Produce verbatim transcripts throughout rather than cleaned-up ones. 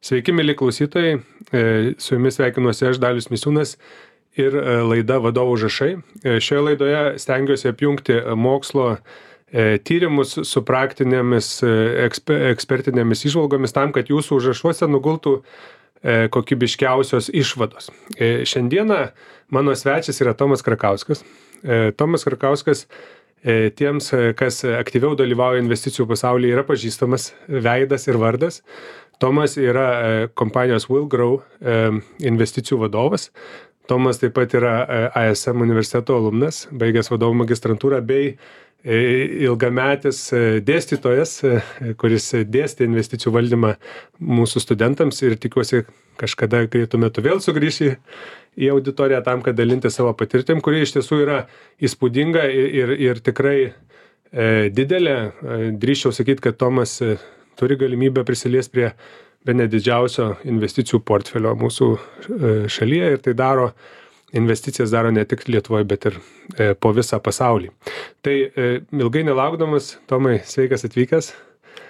Sveiki, mėly klausytojai, su jumis sveikinuosi aš, Dalius Misiūnas ir laida Vadovų užrašai. Šioje laidoje stengiuosi apjungti mokslo tyrimus su praktinėmis ekspertinėmis įžvalgomis tam, kad jūsų užrašuose nugultų kokybiškiausios išvados. Šiandieną mano svečias yra Tomas Krakauskas. Tomas Krakauskas tiems, kas aktyviau dalyvauja investicijų pasaulyje, yra pažįstamas veidas ir vardas. Tomas yra kompanijos Will Grow investicijų vadovas. Tomas taip pat yra A S M universiteto alumnas, baigęs vadovų magistrantūrą bei ilgametis dėstytojas, kuris dėstė investicijų valdymą mūsų studentams ir tikiuosi kažkada greitu metu vėl sugrįši į auditoriją tam, kad dalinti savo patirtim, kuri iš tiesų yra įspūdinga ir, ir, ir tikrai e, didelė. Drįsčiau sakyti, kad Tomas turi galimybę prisiliesti prie bene didžiausio investicijų portfelio mūsų šalyje ir tai daro, investicijas daro ne tik Lietuvoje, bet ir po visą pasaulį. Tai ilgai nelaukdamas, Tomai, sveikas atvykęs.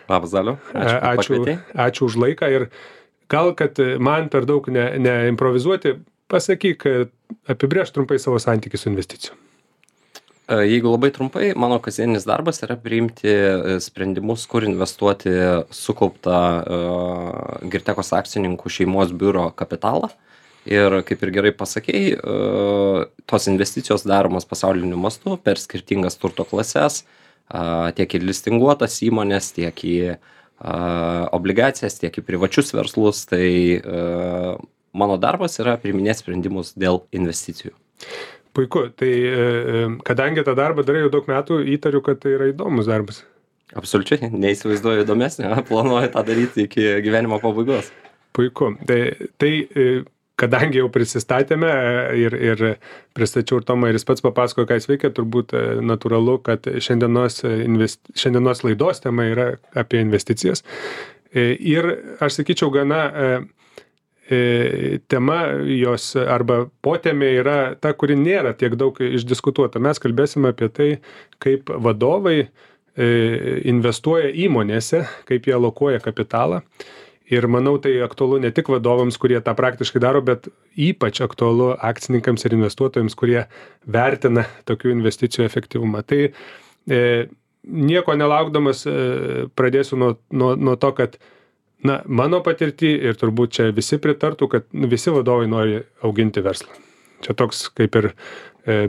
Labas, Daliu. Ačiū, ačiū, ačiū už laiką ir gal, kad man per daug ne, neimprovizuoti, pasakyk, apibrėžk trumpai savo santykį su investicijų. Jeigu labai trumpai, mano kasdienis darbas yra priimti sprendimus, kur investuoti sukauptą uh, Girtekos akcininkų šeimos biuro kapitalą. Ir kaip ir gerai pasakei, uh, tos investicijos daromos pasauliniu mastu per skirtingas turto klases, uh, tiek į listinguotas įmonės, tiek į uh, obligacijas, tiek į privačius verslus. Tai uh, mano darbas yra priiminėti sprendimus dėl investicijų. Puiku, tai kadangi tą darbą darai jau daug metų, įtariu, kad tai yra įdomus darbas. Absoliučiai, neįsivaizduoju įdomesnio, planuoju tą daryti iki gyvenimo pabaigos. Puiku, tai, tai kadangi jau prisistatėme ir, ir pristačiau ir Tomą ir jis pats papasakojo, ką jis veikia, turbūt natūralu, kad šiandienos, invest, šiandienos laidos tema yra apie investicijas. Ir aš sakyčiau, gana tema jos arba potėmė yra ta, kuri nėra tiek daug išdiskutuota. Mes kalbėsime apie tai, kaip vadovai investuoja įmonėse, kaip jie alokuoja kapitalą. Ir manau, tai aktualu ne tik vadovams, kurie tą praktiškai daro, bet ypač aktualu akcininkams ir investuotojams, kurie vertina tokių investicijų efektyvumą. Tai e, nieko nelaukdamas e, pradėsiu nuo, nuo, nuo to, kad na, mano patirtį ir turbūt čia visi pritartų, kad visi vadovai nori auginti verslą. Čia toks kaip ir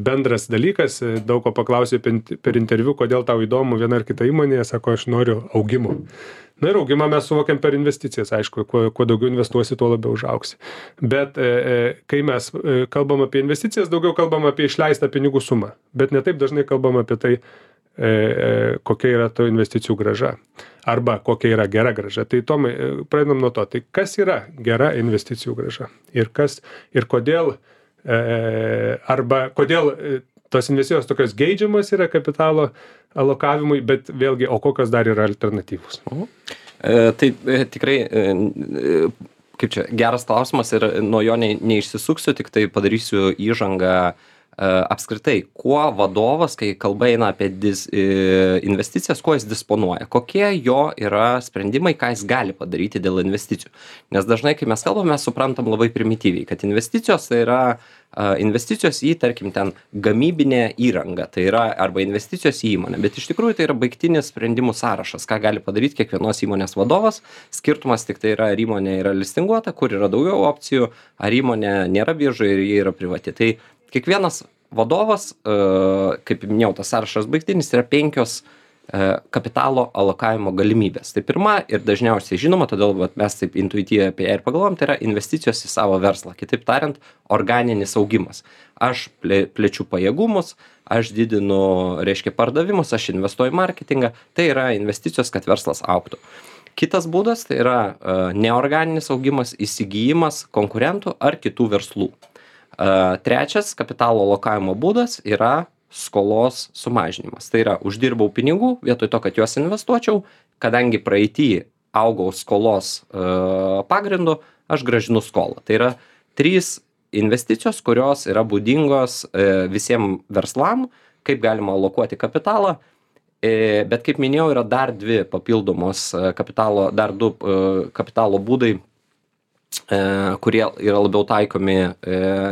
bendras dalykas, daug ko paklausė per interviu, kodėl tau įdomu viena ar kita įmonė, sako, aš noriu augimo. Na ir augimą mes suvokiam per investicijas, aišku, kuo, kuo daugiau investuosi, tuo labiau užaugsi. Bet e, kai mes kalbam apie investicijas, daugiau kalbam apie išleistą pinigų sumą, bet ne taip dažnai kalbam apie tai, kokia yra to investicijų grąža arba kokia yra gera grąža. Tai Tomai, pradedam nuo to. Tai kas yra gera investicijų grąža? Ir kas, ir kodėl, arba kodėl tos investicijos tokios geidžiamas yra kapitalo alokavimui, bet vėlgi, o kokios dar yra alternatyvos? Mhm. E, tai e, tikrai, e, kaip čia, geras klausimas ir nuo jo ne, neišsisuksiu, tik tai padarysiu įžangą apskritai, kuo vadovas, kai kalba eina apie dis, investicijas, kuo jis disponuoja, kokie jo yra sprendimai, ką jis gali padaryti dėl investicijų. Nes dažnai, kai mes kalbame, mes suprantam labai primityviai, kad investicijos tai yra investicijos į, tarkim, ten gamybinę įrangą, tai yra arba investicijos į įmonę, bet iš tikrųjų tai yra baigtinis sprendimų sąrašas, ką gali padaryti kiekvienos įmonės vadovas. Skirtumas tik tai yra, ar įmonė yra listinguota, kur yra daugiau opcijų, ar įmonė nėra biržoje ir jie yra privati. Tai kiekvienas vadovas, kaip minėjau, tas sąrašas baigtinis, yra penkios kapitalo alokavimo galimybės. Tai pirma ir dažniausiai žinoma, todėl vat, mes taip intuityviai apie ją ir pagalvojam, tai yra investicijos į savo verslą. Kitaip tariant, organinis augimas. Aš plečiu pajėgumus, aš didinu, reiškia, pardavimus, aš investuoju į marketingą. Tai yra investicijos, kad verslas augtų. Kitas būdas tai yra neorganinis augimas, įsigijimas konkurentų ar kitų verslų. Trečias kapitalo alokavimo būdas yra skolos sumažinimas. Tai yra, uždirbau pinigų, vietoj to, kad juos investuočiau, kadangi praeity augau skolos e, pagrindu, aš gražinu skolą. Tai yra trys investicijos, kurios yra būdingos e, visiems verslam, kaip galima alokuoti kapitalą. E, bet kaip minėjau, yra dar dvi papildomos kapitalo, dar du e, kapitalo būdai kurie yra labiau taikomi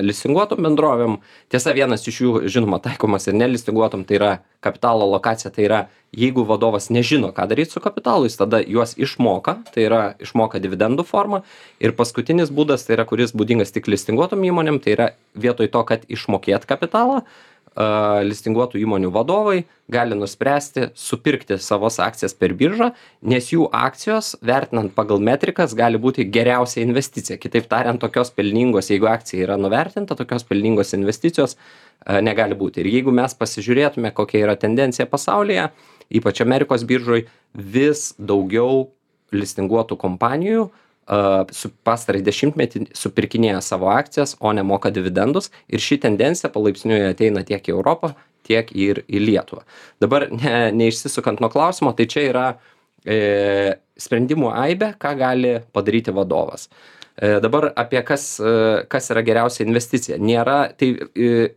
listinguotom bendrovėm. Tiesa, vienas iš jų, žinoma, taikomas ir nelistinguotom, tai yra kapitalo alokacija, tai yra, jeigu vadovas nežino, ką daryti su kapitalu, jis tada juos išmoka, tai yra išmoka dividendų formą. Ir paskutinis būdas, tai yra, kuris būdingas tik listinguotom įmonėm, tai yra vietoj to, kad išmokėt kapitalą, listinguotų įmonių vadovai gali nuspręsti supirkti savos akcijas per biržą, nes jų akcijos, vertinant pagal metrikas, gali būti geriausia investicija. Kitaip tariant, tokios pelningos, jeigu akcija yra nuvertinta, tokios pelningos investicijos negali būti. Ir jeigu mes pasižiūrėtume, kokia yra tendencija pasaulyje, ypač Amerikos biržoj, vis daugiau listinguotų kompanijų su pastarąjį dešimtmetį supirkinėja savo akcijas, o nemoka dividendus. Ir ši tendencija palaipsniui ateina tiek į Europą, tiek ir į Lietuvą. Dabar ne, neišsisukant nuo klausimo, tai čia yra e, sprendimų aibė, ką gali padaryti vadovas. E, dabar apie kas, e, kas yra geriausia investicija. Nėra, tai e,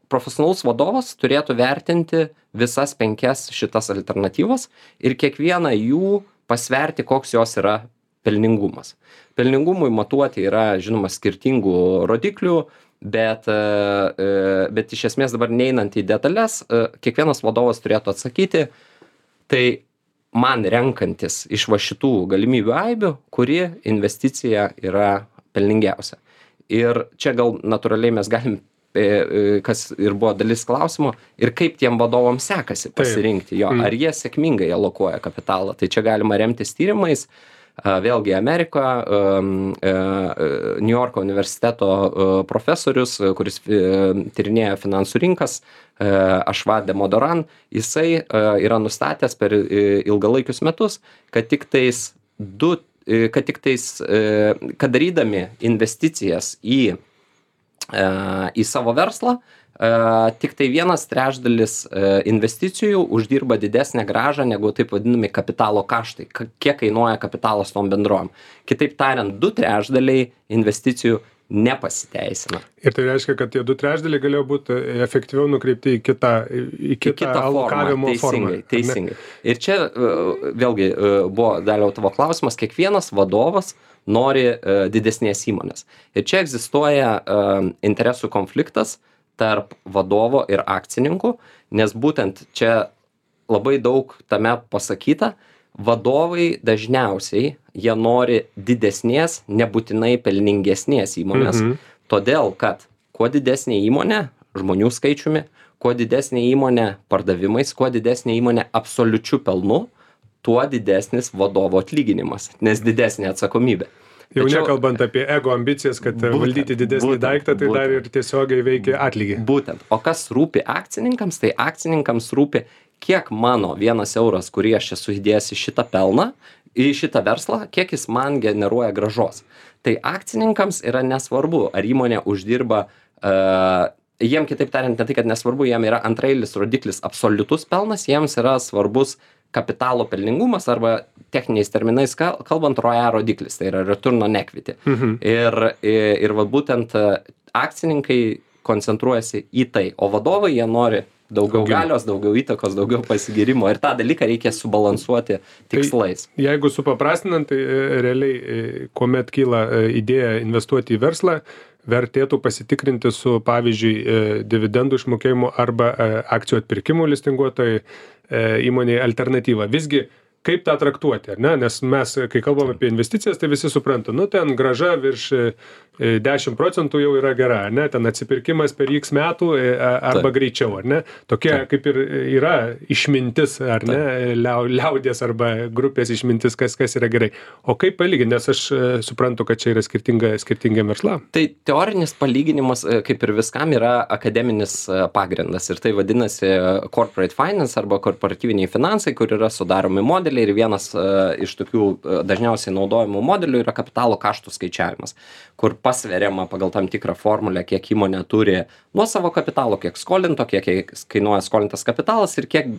profesionalus vadovas turėtų vertinti visas penkias šitas alternatyvas ir kiekvieną jų pasverti, koks jos yra pelningumas. Pelningumui matuoti yra, žinoma, skirtingų rodiklių, bet, bet iš esmės dabar neinant į detalės, kiekvienas vadovas turėtų atsakyti, tai man renkantis iš va šitų galimybių aibių, kuri investicija yra pelningiausia. Ir čia gal natūraliai mes galim, kas ir buvo dalis klausimo, ir kaip tiem vadovams sekasi pasirinkti jo, ar jie sėkmingai alokuoja kapitalą. Tai čia galima remtis tyrimais. Vėlgi Amerika, New Yorko universiteto profesorius, kuris tyrinėja finansų rinkas, Ashwat Damodaran, jisai yra nustatęs per ilgalaikius metus, kad tik tais du, kad tik tais, kad darydami investicijas į, į savo verslą, Uh, tik tai vienas trečdalis uh, investicijų uždirba didesnę grąžą negu taip vadinami kapitalo kaštai, K kiek kainuoja kapitalas tom bendrovėm. Kitaip tariant, du trečdaliai investicijų nepasiteisina. Ir tai reiškia, kad tie du trečdaliai galėjo būti efektyviau nukreipti į kitą, į kitą, kitą alokavimo formą. Teisingai, teisingai. Ir čia uh, vėlgi uh, buvo Daliau tavo klausimas, kiekvienas vadovas nori uh, didesnės įmonės. Ir čia egzistuoja uh, interesų konfliktas tarp vadovo ir akcininkų, nes būtent čia labai daug tame pasakyta, vadovai dažniausiai jie nori didesnės, nebūtinai pelningesnės įmonės, mhm. todėl kad kuo didesnė įmonė žmonių skaičiumi, kuo didesnė įmonė pardavimais, kuo didesnė įmonė absoliučiu pelnu, tuo didesnis vadovo atlyginimas, nes didesnė atsakomybė. Jau Tačiau, nekalbant apie ego ambicijas, kad būtent, valdyti didesnį būtent, daiktą, tai būtent, dar ir tiesiogiai veikia atlygį. Būtent. O kas rūpi akcininkams, tai akcininkams rūpi, kiek mano vienas euras, kurį aš esu įdėjęs į šitą pelną, į šitą verslą, kiek jis man generuoja gražos. Tai akcininkams yra nesvarbu, ar įmonė uždirba, uh, jiem kitaip tariant, ne tai, kad nesvarbu, jiem yra antrailis rodiklis absoliutus pelnas, jiems yra svarbus kapitalo pelningumas arba techniniais terminais kalbant R O E rodiklis, tai yra return on equity. Mhm. Ir, ir, ir va būtent akcininkai koncentruojasi į tai, o vadovai jie nori daugiau Augim. galios, daugiau įtakos, daugiau pasigirimo ir tą dalyką reikia subalansuoti tikslais. Tai, jeigu supaprastinant, tai realiai, kuomet kyla idėja investuoti į verslą, vertėtų pasitikrinti su, pavyzdžiui, dividendų išmokėjimu arba akcijų atpirkimu listinguotojai įmonėje alternatyvą. Visgi, kaip tą traktuoti, ar ne? Nes mes, kai kalbam apie investicijas, tai visi supranta, nu ten grąža virš dešimt procentų jau yra gera, ar ne? Ten atsipirkimas per X metų arba Taip. greičiau, ar ne? Tokia Taip. kaip ir yra išmintis, ar Taip. ne? Liau, liaudės arba grupės išmintis, kas, kas yra gerai. O kaip palyginti, nes aš suprantu, kad čia yra skirtinga, skirtingiam verslam. Tai teorinis palyginimas, kaip ir viskam, yra akademinis pagrindas ir tai vadinasi corporate finance arba korporatyviniai finansai, kur yra sudaromi modeliai ir vienas uh, iš tokių uh, dažniausiai naudojamų modelių yra kapitalo kaštų skaičiavimas, kur pasveriama pagal tam tikrą formulę, kiek įmonė turi nuo savo kapitalo, kiek skolinto, kiek kainuoja skolintas kapitalas ir kiek,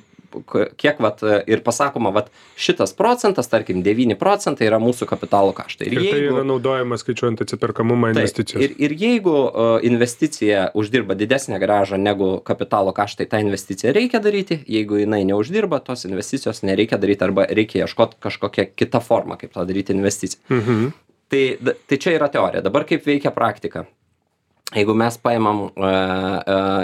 kiek vat, ir pasakoma, vat, šitas procentas, tarkim, devyni procentai yra mūsų kapitalo kaštai. Ir, ir jeigu, tai yra naudojama skaičiuojant atsiperkamumą investicijos. Ir, ir jeigu uh, investicija uždirba didesnę grąžą negu kapitalo kaštai, tą investiciją reikia daryti, jeigu jinai neuždirba, tos investicijos nereikia daryti arba reikia ieškoti kažkokią kitą formą, kaip tą daryti investiciją. Mhm. Tai, tai čia yra teorija. Dabar kaip veikia praktika? Jeigu mes paimam,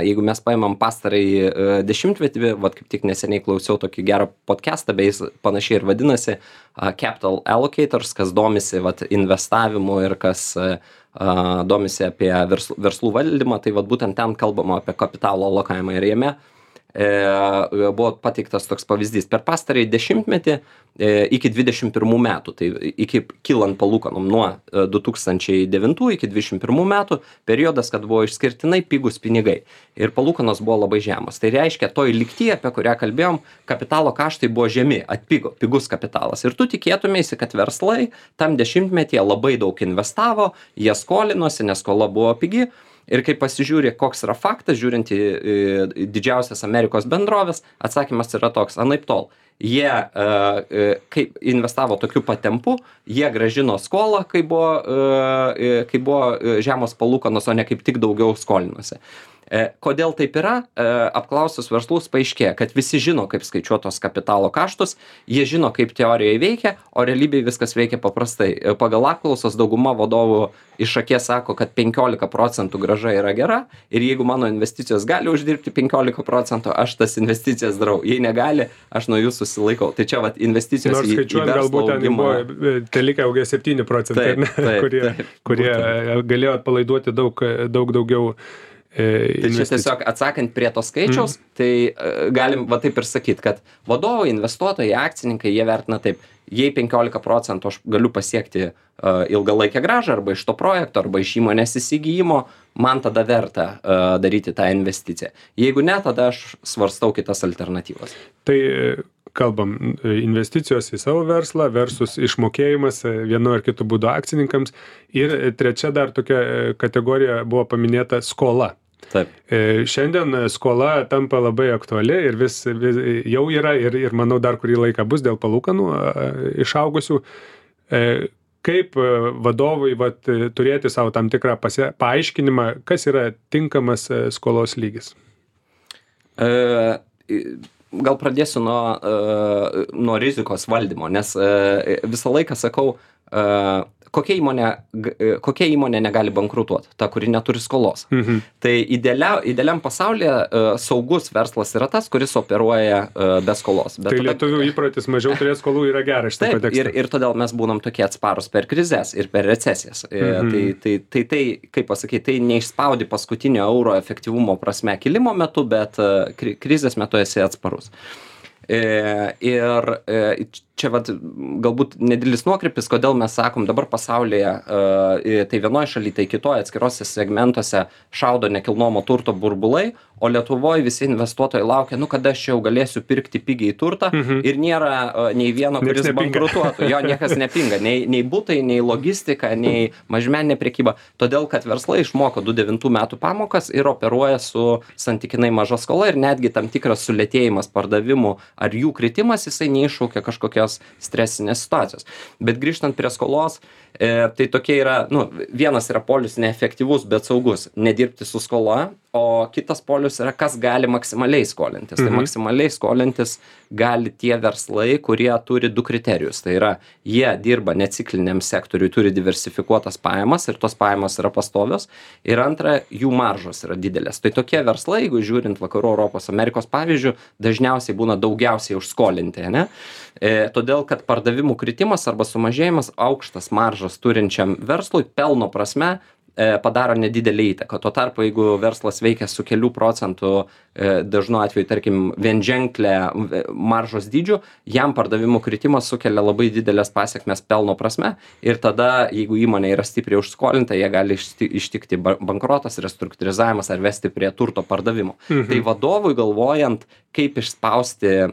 jeigu mes paimam pastarąjį dešimtmetį, vat kaip tik neseniai klausiau tokį gerą podcastą, bei jis panašiai ir vadinasi Capital Allocators, kas domisi vat investavimu ir kas domisi apie verslų, verslų valdymą, tai vat būtent ten kalbama apie kapitalo alokavimą ir jame e, buvo pateiktas toks pavyzdys. Per pastarąjį dešimtmetį e, iki dvidešimt pirmų metų, tai iki kylant palūkanom nuo du tūkstančiai devintų iki dvidešimt pirmų metų, periodas, kad buvo išskirtinai pigus pinigai ir palūkanos buvo labai žemos. Tai reiškia, toj lygtyje, apie kurią kalbėjom, kapitalo kaštai buvo žemi, atpigo, pigus kapitalas. Ir tu tikėtumėsi, kad verslai tam dešimtmetyje labai daug investavo, jie skolinosi, nes skola buvo pigi. Ir kai pasižiūri, koks yra faktas, žiūrint į, į didžiausias Amerikos bendrovės, atsakymas yra toks, anaip tol. Jie, e, kai investavo tokiu pat tempu, jie grąžino skolą, kai buvo, e, kai buvo žemos palūkanos, o ne kaip tik daugiau skolinosi. E, kodėl taip yra? E, apklausus verslus paaiškėja, kad visi žino, kaip skaičiuotos kapitalo kaštus, jie žino, kaip teorijoje veikia, o realybėje viskas veikia paprastai. E, pagal apklausas dauguma vadovų iš akies sako, kad penkiolika procentų grąža yra gera ir jeigu mano investicijos gali uždirbti penkiolika procentų, aš tas investicijas darau. Jei negali, aš nuo jų susilaikau. Tai čia vat investicijos Nors į, skaičiuojant, į verslo galbūt ten augimą. buvo telikę augia septyni procentai, Taip, taip, kurie, taip, kurie būtent. galėjo atpalaiduoti daug, daug daugiau e, Tai čia tiesiog atsakant prie to skaičiaus, mm. tai uh, galim va taip ir sakyti, kad vadovai, investuotojai, akcininkai, jie vertina taip, jei penkiolika procentų aš galiu pasiekti uh, ilgalaikę grąžą arba iš to projekto, arba iš įmonės įsigijimo, man tada verta uh, daryti tą investiciją. Jeigu ne, tada aš svarstau kitas alternatyvas. Tai kalbam, investicijos į savo verslą versus išmokėjimas vienu ar kitu būdu akcininkams. Ir trečia dar tokia kategorija buvo paminėta skola. Taip. Šiandien skola tampa labai aktuali ir vis, vis jau yra ir, ir manau dar kurį laiką bus dėl palūkanų išaugusių. Kaip vadovui vat, turėti savo tam tikrą pasie, paaiškinimą, kas yra tinkamas skolos lygis? E, gal pradėsiu nuo, e, nuo rizikos valdymo, nes e, visą laiką sakau, e, kokia įmonė, kokia įmonė negali bankrutuoti, ta, kuri neturi skolos. Mhm. Tai idealia, idealiam pasaulyje uh, saugus verslas yra tas, kuris operuoja uh, be skolos. Bet tai tada, lietuvių įprotis mažiau turėti skolų yra geras šitą kontekstą. Ir, ir todėl mes būnam tokie atsparus per krizės ir per recesijas. Mhm. Tai, tai, tai, tai, kaip pasakyti, tai neišspaudi paskutinio euro efektyvumo prasme kilimo metu, bet uh, krizės metu esi atsparus. E, ir e, čia vat, galbūt nedidelis nuokrypis, kodėl mes sakom dabar pasaulyje, e, tai vienoje šalyje, tai kitoje atskirose segmentuose šaudo nekilnojamo turto burbulai, o Lietuvoje visi investuotojai laukia, nu kada aš jau galėsiu pirkti pigiai turtą mhm. ir nėra e, nei vieno, kuris bankrutuotų. Jo, niekas nepinga, nei, nei butai, nei logistika, nei mažmeninė prekyba. Todėl, kad verslai išmoko du tūkstančiai devintų metų pamokas ir operuoja su santykinai maža skola ir netgi tam tikras sulėtėjimas pardavimų ar jų kritimas, jisai neiššaukia kažkokios stresinės situacijos. Bet grįžtant prie skolos, e, tai tokie yra, nu, vienas yra polius neefektyvus, bet saugus, nedirbti su skola, o kitas polius yra, kas gali maksimaliai skolintis. Mhm. Tai maksimaliai skolintis gali tie verslai, kurie turi du kriterijus. Tai yra, jie dirba necikliniam sektoriui, turi diversifikuotas pajamas ir tos pajamos yra pastovios. Ir antra, jų maržos yra didelės. Tai tokie verslai, jeigu žiūrint Vakarų Europos, Amerikos pavyzdžių, dažniausiai būna daugiausiai užskolinti, ne? E, todėl, kad pardavimų kritimas arba sumažėjimas aukštas maržas turinčiam verslui pelno prasme padaro nedidelį įtaką. Tuo tarpu, jeigu verslas veikia su kelių procentų, dažnu atveju, tarkim, vienženklę maržos dydžių, jam pardavimų kritimas sukelia labai didelės pasiekmes pelno prasme ir tada, jeigu įmonė yra stipriai užskolinta, jie gali ištikti bankrotas, restruktūrizavimas ar vesti prie turto pardavimo. Mhm. Tai vadovui galvojant, kaip išspausti e,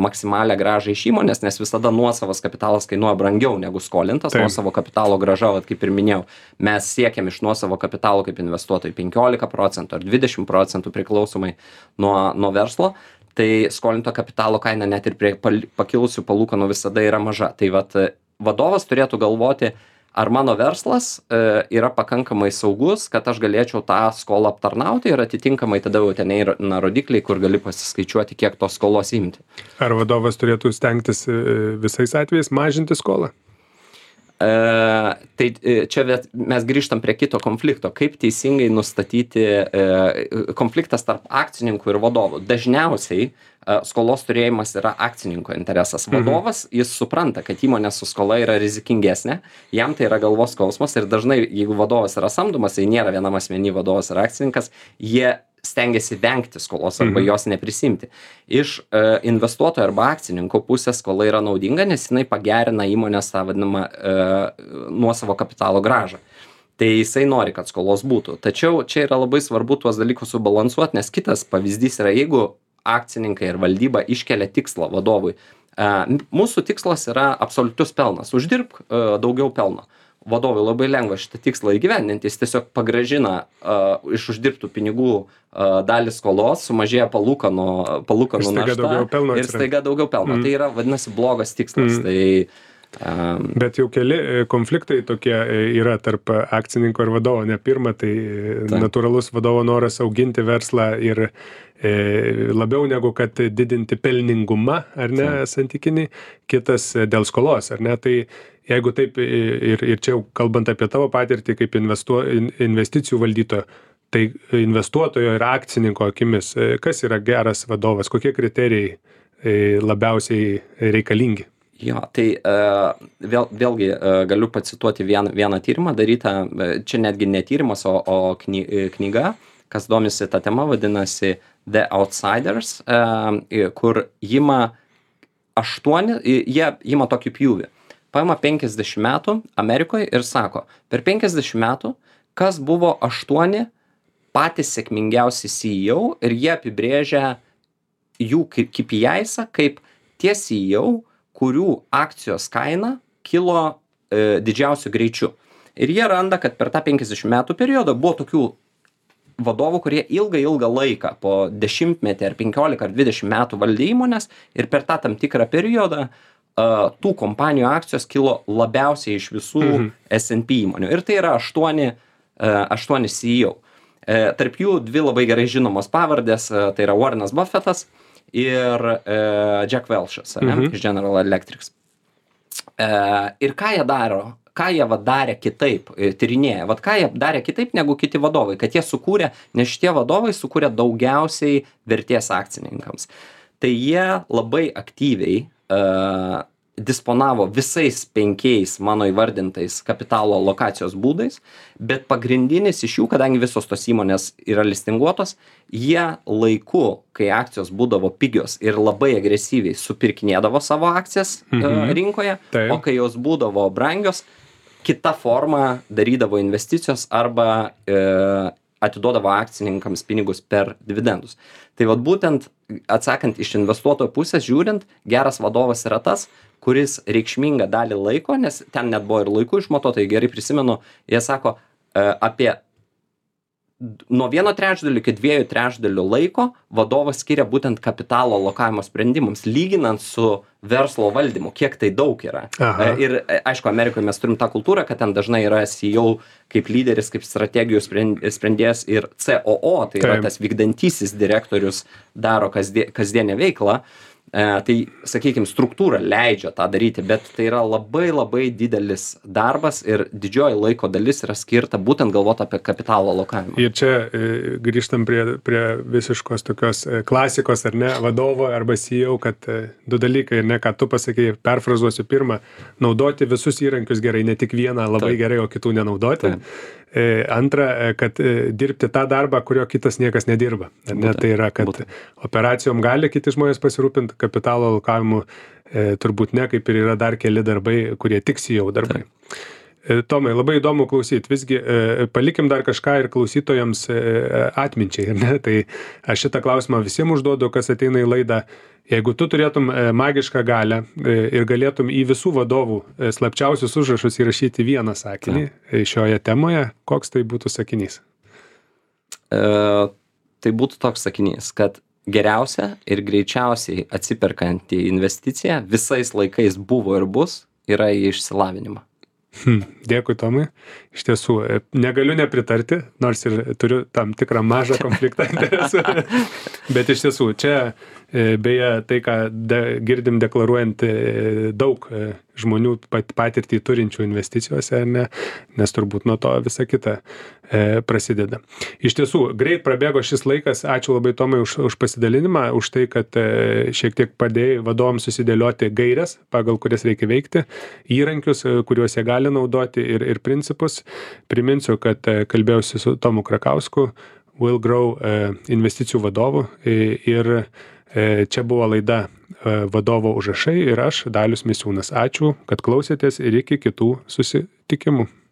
maksimalią grąžą iš įmonės, nes visada nuosavas kapitalas kainuoja brangiau negu skolintas. Taip. Nuosavo kapitalo grąža, vat, kaip ir minėjau, mes siekiam iš nuosavo kapitalo kaip investuotojai penkiolika procentų ar dvidešimt procentų priklausomai nuo, nuo verslo. Tai skolinto kapitalo kaina net ir prie pakilusių palūkanų visada yra maža. Tai vat, vadovas turėtų galvoti, ar mano verslas e, yra pakankamai saugus, kad aš galėčiau tą skolą aptarnauti ir atitinkamai tada jau ten eina rodikliai, kur gali pasiskaičiuoti, kiek tos skolos imti. Ar vadovas turėtų stengtis visais atvejais mažinti skolą? Uh, tai čia mes grįžtam prie kito konflikto. Kaip teisingai nustatyti uh, konfliktas tarp akcininkų ir vadovų. Dažniausiai uh, skolos turėjimas yra akcininko interesas. Vadovas, mhm. jis supranta, kad įmonė su skola yra rizikingesnė, jam tai yra galvos skausmas ir dažnai, jeigu vadovas yra samdomas, tai nėra vienam asmenį vadovas ar akcininkas, jie stengiasi vengti skolos arba mhm. jos neprisimti. Iš uh, investuotojo arba akcininko pusės skola yra naudinga, nes jinai pagerina įmonės tą vadinamą uh, nuosavo kapitalo grąžą. Tai jisai nori, kad skolos būtų. Tačiau čia yra labai svarbu tuos dalykus subalansuoti, nes kitas pavyzdys yra, jeigu akcininkai ir valdyba iškelia tikslą vadovui. Uh, mūsų tikslas yra absoliutus pelnas. Uždirbk uh, daugiau pelno. Vadovui labai lengva šitą tikslą įgyvendinti, jis tiesiog pagrąžina uh, iš uždirbtų pinigų uh, dalį skolos, sumažėja palūkanų, palūkanų našta ir staiga daugiau pelno. Mm. Tai yra, vadinasi, blogas tikslas. Mm. Tai, um... Bet jau keli konfliktai tokie yra tarp akcininko ir vadovo. Ne pirma, tai Ta. natūralus vadovo noras auginti verslą ir e, labiau negu kad didinti pelningumą, ar ne, Ta. santykinį, kitas dėl skolos, ar ne. Tai jeigu taip, ir, ir čia jau kalbant apie tavo patirtį kaip investuo, investicijų valdytojo, tai investuotojo ir akcininko akimis, kas yra geras vadovas, kokie kriterijai labiausiai reikalingi? Jo, tai uh, vėl, vėlgi uh, galiu pacituoti vieną, vieną tyrimą darytą, čia netgi ne tyrimas, o, o kny, knyga, kas domisi tą temą, vadinasi The Outsiders, uh, kur ima aštuoni, jie ima tokį pjūvį. Paima penkiasdešimt metų Amerikoje ir sako, per penkiasdešimt metų, kas buvo aštuoni patys sėkmingiausi C E O ir jie apibrėžia jų K P I-są kaip tie C E O, kurių akcijos kaina kilo e, didžiausiu greičiu. Ir jie randa, kad per tą penkiasdešimt metų periodą buvo tokių vadovų, kurie ilgą, ilgą laiką, po dešimtmetį ar penkiolika ar dvidešimt metų valdė įmonės ir per tą tam tikrą periodą Uh, tų kompanijų akcijos kilo labiausiai iš visų mhm. S and P įmonių. Ir tai yra aštuoni, uh, aštuoni C E O. Uh, tarp jų dvi labai gerai žinomos pavardės, uh, tai yra Warrenas Buffettas ir uh, Jack Welch'as, mhm. ne, iš General Electric. Uh, ir ką jie daro? Ką jie va darė kitaip, tyrinėja? Vat ką jie darė kitaip negu kiti vadovai? Kad jie sukūrė, nes šitie vadovai sukūrė daugiausiai vertės akcininkams. Tai jie labai aktyviai Uh, disponavo visais penkiais mano įvardintais kapitalo alokacijos būdais, bet pagrindinis iš jų, kadangi visos tos įmonės yra listinguotos, jie laiku, kai akcijos būdavo pigios ir labai agresyviai supirkinėdavo savo akcijas mhm. uh, rinkoje, Taip. o kai jos būdavo brangios, kita forma darydavo investicijos arba uh, atiduodavo akcininkams pinigus per dividendus. Tai vat būtent atsakant iš investuotojo pusės žiūrint, geras vadovas yra tas, kuris reikšmingą dalį laiko, nes ten net buvo ir laikų išmatuota, gerai prisimenu, jie sako apie nuo vieno trečdalio iki dviejų trečdalių laiko vadovas skiria būtent kapitalo alokavimo sprendimams, lyginant su verslo valdymu, kiek tai daug yra. Aha. Ir aišku, Amerikoje mes turim tą kultūrą, kad ten dažnai yra C E O kaip lyderis, kaip strategijų sprendėjas ir C O O, tai Taip. yra tas vykdantysis direktorius daro kasdien, kasdienę veiklą. E, tai, sakykime, struktūra leidžia tą daryti, bet tai yra labai labai didelis darbas ir didžioji laiko dalis yra skirta būtent galvoti apie kapitalo alokavimą. Ir čia e, grįžtam prie, prie visiškos tokios e, klasikos, ar ne, vadovo arba C E O, kad e, du dalykai, ne, ką tu pasakei, perfrazuosiu pirmą, naudoti visus įrankius gerai, ne tik vieną labai Taip. gerai, o kitų nenaudoti. Taip. E, antra, kad e, dirbti tą darbą, kurio kitas niekas nedirba. Ne, būtent, tai yra, kad būtent. operacijom gali kiti žmonės pasirūpinti, kapitalo alokavimu e, turbūt ne, kaip ir yra dar keli darbai, kurie tik C E O darbai. E, Tomai, labai įdomu klausyti. Visgi e, palikim dar kažką ir klausytojams e, atminčiai. Ne? Tai aš šitą klausimą visiems užduodu, kas ateina į laidą. Jeigu tu turėtum e, magišką galią e, ir galėtum į visų vadovų e, slapčiausius užrašus įrašyti vieną sakinį e, šioje temoje, koks tai būtų sakinys? E, tai būtų toks sakinys, kad geriausia ir greičiausiai atsiperkanti investicija visais laikais buvo ir bus, yra į išsilavinimą. Hmm. Dėkui, Tomai. Iš tiesų, negaliu nepritarti, nors ir turiu tam tikrą mažą konfliktą interesų. Bet iš tiesų, čia beje tai, ką de, girdim deklaruojant daug žmonių pat, patirtį turinčių investicijose, ne, nes turbūt nuo to visa kita e, prasideda. Iš tiesų, greit prabėgo šis laikas. Ačiū labai, Tomai, už, už pasidalinimą, už tai, kad e, šiek tiek padėjai vadovams susidėlioti gairias, pagal kurias reikia veikti, įrankius, kuriuos jie gali naudoti ir, ir principus. Priminsiu, kad e, kalbėjausi su Tomu Krakausku, Will Grow e, investicijų vadovu e, ir e, čia buvo laida e, Vadovo užrašai ir aš, Dalius Misiūnas. Ačiū, kad klausėtės ir iki kitų susitikimų.